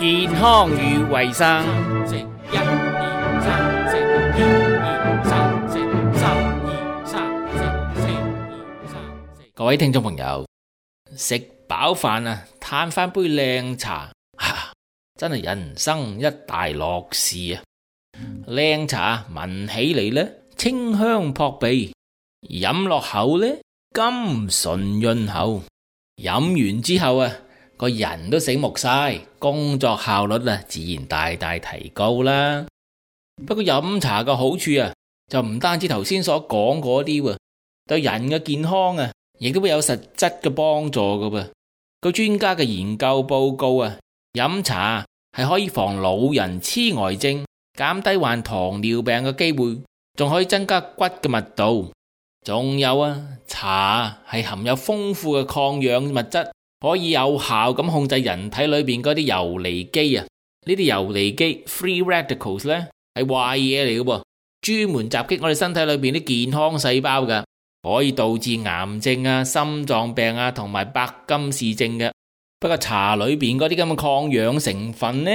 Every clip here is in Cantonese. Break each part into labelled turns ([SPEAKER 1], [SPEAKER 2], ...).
[SPEAKER 1] 健康與衛生。
[SPEAKER 2] 一二三四，一二三四，三二三四，四二三四。
[SPEAKER 1] 各位聽眾朋友，食飽飯啊，嘆翻杯靚茶，真係人生一大樂事啊！靚茶聞起嚟呢，清香撲鼻，飲落口呢，甘醇潤喉。飲完之後啊，個人都醒目晒，工作效率啊自然大大提高啦。不過飲茶嘅好處啊，就唔單止頭先所講嗰啲喎，對人嘅健康啊，亦都會有實質嘅幫助㗎噃。據專家嘅研究報告啊，飲茶係可以防老人痴呆症，減低患糖尿病嘅機會，仲可以增加骨嘅密度。仲有啊，茶係含有豐富嘅抗氧物質，可以有效咁控制人體裏邊嗰啲游離基啊。呢啲游離基 free radicals 呢係壞嘢嚟嘅噃，專門襲擊我哋身體裏邊啲健康細胞㗎，可以導致癌症啊、心臟病啊同埋白金氏症嘅。不過茶裏邊嗰啲咁嘅抗氧成分呢，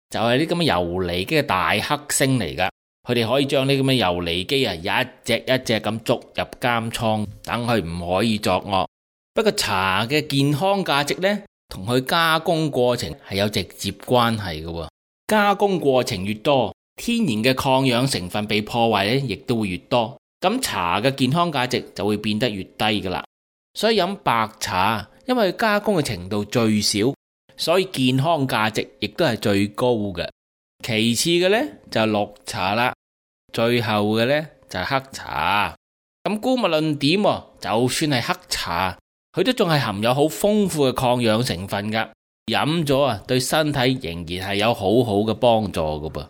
[SPEAKER 1] 就係啲咁嘅游離基嘅大黑星嚟㗎。佢哋可以將呢咁嘅游離基啊，一隻一隻咁捉入監倉，等佢唔可以作惡。不過茶嘅健康價值呢，同佢加工過程係有直接關係嘅。加工過程越多，天然嘅抗氧成分被破壞呢，亦都會越多。咁茶嘅健康價值就會變得越低噶啦。所以飲白茶，因為加工嘅程度最少，所以健康價值亦都係最高嘅。其次嘅呢，就係綠茶啦，最後嘅呢，就係黑茶。咁姑勿論點，就算係黑茶，佢都仲係含有好豐富嘅抗氧成分噶，飲咗啊，對身體仍然係有好好嘅幫助噶噃。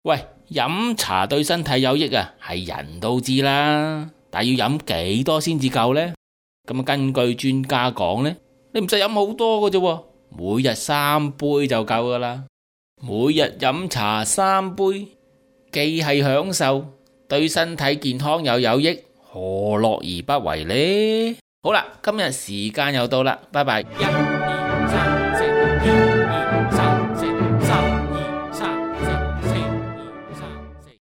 [SPEAKER 1] 喂，飲茶對身體有益啊，係人都知啦，但係要飲幾多先至夠呢？咁根據專家講呢，你唔使飲好多嘅啫，每日3杯就夠噶啦。每日飲茶3杯，既係享受，對身體健康又有益，何樂而不為呢？好啦，今日時間又到啦，拜拜。
[SPEAKER 2] 一二三四，